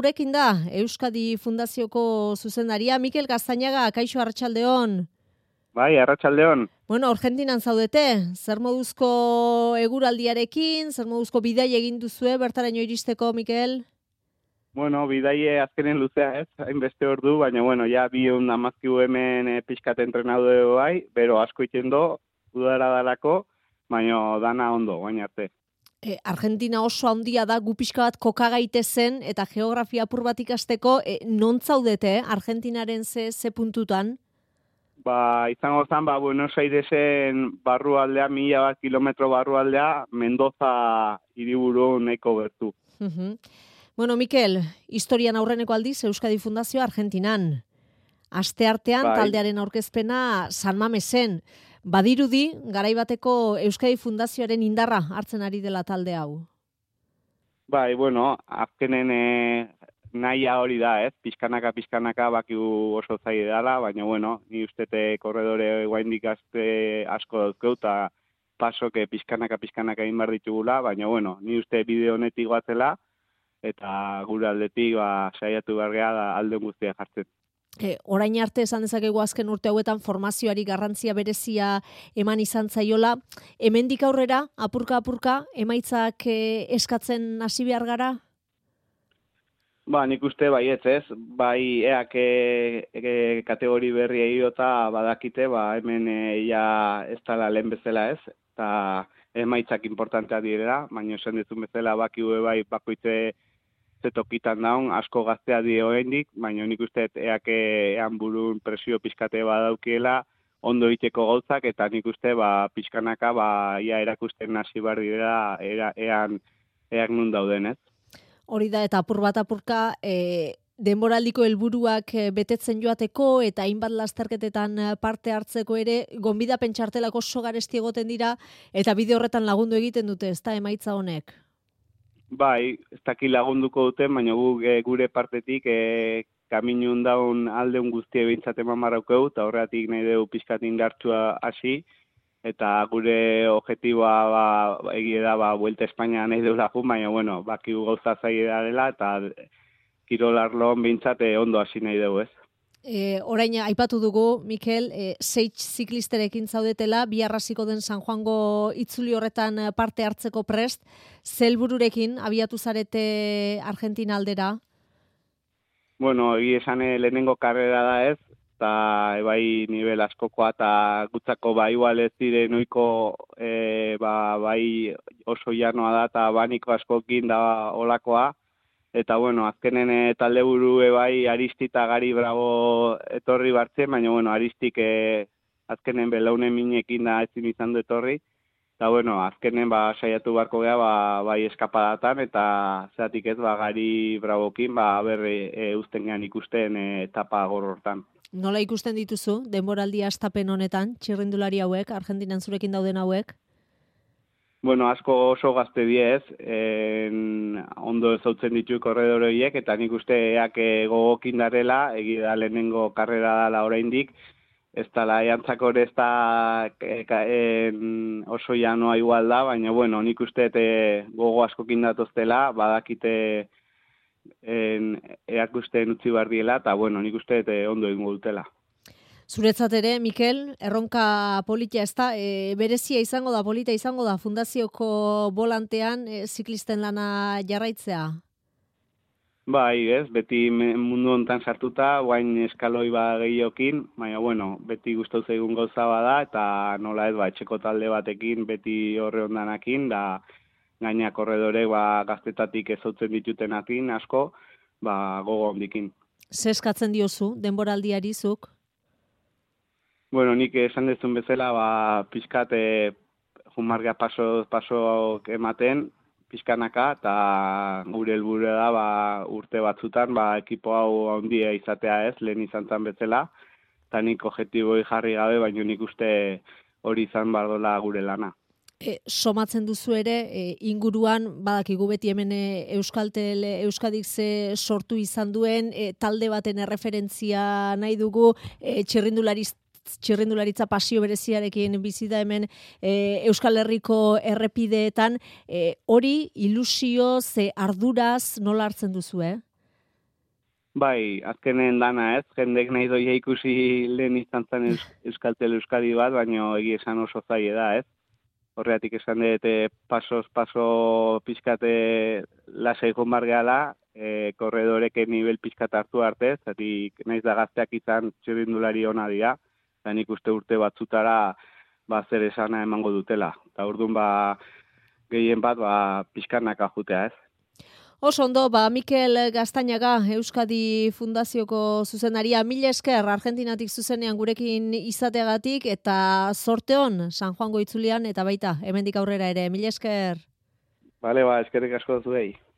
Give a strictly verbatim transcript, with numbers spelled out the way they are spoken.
Gurekin da, Euskadi Fundazioko zuzendaria, Mikel Gaztañaga, kaixo arratsaldeon. Bai, arratsaldeon. Bueno, Argentinan zaudete, zer moduzko eguraldiarekin, zer moduzko bidai egin duzue, bertaraino iristeko, Mikel? Bueno, bidaie azkenen luzea ez, hainbeste ordu, baina bueno, ja bion amazkiu hemen e, pixkat entrenaude bai, bero asko itendo, udara dalako, baina dana ondo, baina arte. E, Argentina oso handia da, gu pixka bat kokagaite zen, eta geografia apur bat ikasteko, e, non zaudete, eh? Argentinaren ze, ze puntutan? Ba, izango zen, ba, Buenos Airesen barrualdea, mila bat kilometro barrualdea, Mendoza hiriburu nahiko gertu. Uh-huh. Bueno, Mikel, historian aurreneko aldiz Euskadi Fundazio Argentinan. Asteartean Bai. Taldearen aurkezpena San Mamesen. Badirudi, garaibateko Euskadi Fundazioaren indarra hartzen ari dela talde hau. Bai, bueno, azkenen e, nahia hori da, ez? Pizkanaka, pizkanaka bakiu oso zaide dela, baina bueno, ni ustete korredore guaindik azte asko dauzkeu, eta pasoke pizkanaka, pizkanaka egin behar ditugula, baina bueno, ni uste bideo honetik batzela, eta gure aldetik ba, saiatu behar geha da alde guztia jartzen. E, orain arte esan dezakegu azken urte hauetan formazioari garrantzia berezia eman izan zaiola. Hemendik aurrera, apurka-apurka, emaitzak e, eskatzen hasi behar gara? Ba, nik uste baietz ez, bai eak e, e, kategori berri egiota badakite, ba, hemen e, ja ez dala lehen bezala ez, eta emaitzak importantea direla, baina esan dezun bezala bakiu bai bakoitze zetokitan daun, asko gaztea dio hendik, baina nik uste eak ean burun presio pizkate badaukiela, ondo iteko gauzak, eta nik uste ba, pizkanaka ba, ia erakusten hasi behar direla era, ean, eak nun dauden ez. Hori da, eta apur bat apurka, e, denboraldiko helburuak betetzen joateko, eta hainbat lasterketetan parte hartzeko ere, gonbidapen txartelak oso garesti egoten dira, eta bide horretan lagundu egiten dute, ez da emaitza honek? Bai, ez daki lagunduko duten, baina gu, e, gure partetik e, kaminun daun aldeun guztie behintzat eman marraukeu, eta horretik nahi dugu pizkat indartsua hasi, eta gure objetiboa ba, egie da, ba, Vuelta Espainia nahi dugu lagun, baina, bueno, bakigu gauza zaila dela, eta kirolarloan behintzat e, ondo hasi nahi dugu, ez? E, orain aipatu dugu, Mikel, e, seitz ziklisterekin zaudetela, biharraziko den San Juango itzuli horretan parte hartzeko prest, zelbururekin abiatu zarete Argentina aldera? Bueno, egi esan lehenengo karrera da ez, eta bai nivel askokoa, eta gutzako bai igual ez dire noiko e, ba, bai oso janoa da, eta baniko askokin da olakoa, eta bueno, azkenen e, talde buru bai Aristi eta Gari Bravo etorri bartzen, baina bueno, Aristik e, azkenen belaunen minekin da ezin izan du etorri, eta bueno, azkenen ba, saiatu barko geha ba, bai eskapadatan, eta zeatik ez ba, Gari Bravokin ba, berre e, uzten gehan ikusten e, etapa gorrortan. Nola ikusten dituzu, denboraldia astapen honetan, txirrindulari hauek, Argentinan zurekin dauden hauek? Bueno, asko oso gazte diez, en, ondo ezautzen ditu korredore horiek, eta nik uste eak gogokin darela, egi da lehenengo karrera dala oraindik, ez dala eantzako ez da en, oso janoa igual da, baina bueno, nik uste e, gogo askokin datoztela, badakite en, eak ustean utzi behar diela, eta bueno, nik uste e, ondo egingo dutela. Zuretzat ere, Mikel, erronka polita ez da, e, berezia izango da, polita izango da, fundazioko bolantean e, ziklisten lana jarraitzea? Bai, ez, beti mundu hontan sartuta, guain eskaloi ba gehiokin, baina bueno, beti gustau zaigun gauza bada, eta nola ez, ba, etxeko talde batekin, beti horre ondanakin, da gaina korredore ba, gaztetatik ezautzen ditutenakin asko, ba, gogo hondikin. Zeskatzen diozu, denboraldiari zuk? Bueno, nik esan dezun bezala, ba, pizkat e, jumarga paso, paso ematen, pizkanaka, eta gure helburu da ba, urte batzutan, ba, ekipo hau handia izatea ez, lehen izan zan bezala, eta nik objektiboi jarri gabe, baina nik uste hori izan bardola gure lana. E, somatzen duzu ere, e, inguruan, badakigu beti hemen e, Euskaltel, Euskadik ze sortu izan duen, e, talde baten erreferentzia nahi dugu, e, txirrindulariz txirrindularitza pasio bereziarekin bizi da hemen e, Euskal Herriko errepideetan, e, hori ilusio ze arduraz nola hartzen duzu, eh? Bai, azkenen dana ez, jendek nahi doia ikusi lehen izan zen Eus, Euskaltel Euskadi bat, baina egi esan oso zaie da ez. Horregatik esan dut, e, pasos, paso pixkate lasai joan bar gehala, e, korredoreke nivel pixkat hartu arte, zatik naiz da gazteak izan txirrindulari ona dira, eta nik uste urte batzutara ba, zer esana emango dutela. Eta orduan ba, gehien bat ba, pixkanak ajutea ez. Oso ondo, ba, Mikel Gaztañaga, Euskadi Fundazioko zuzenaria, mila esker Argentinatik zuzenean gurekin izateagatik, eta zorte hon San Juango itzulian, eta baita, hemendik aurrera ere, mila esker. Bale, ba, eskerrik asko zuei.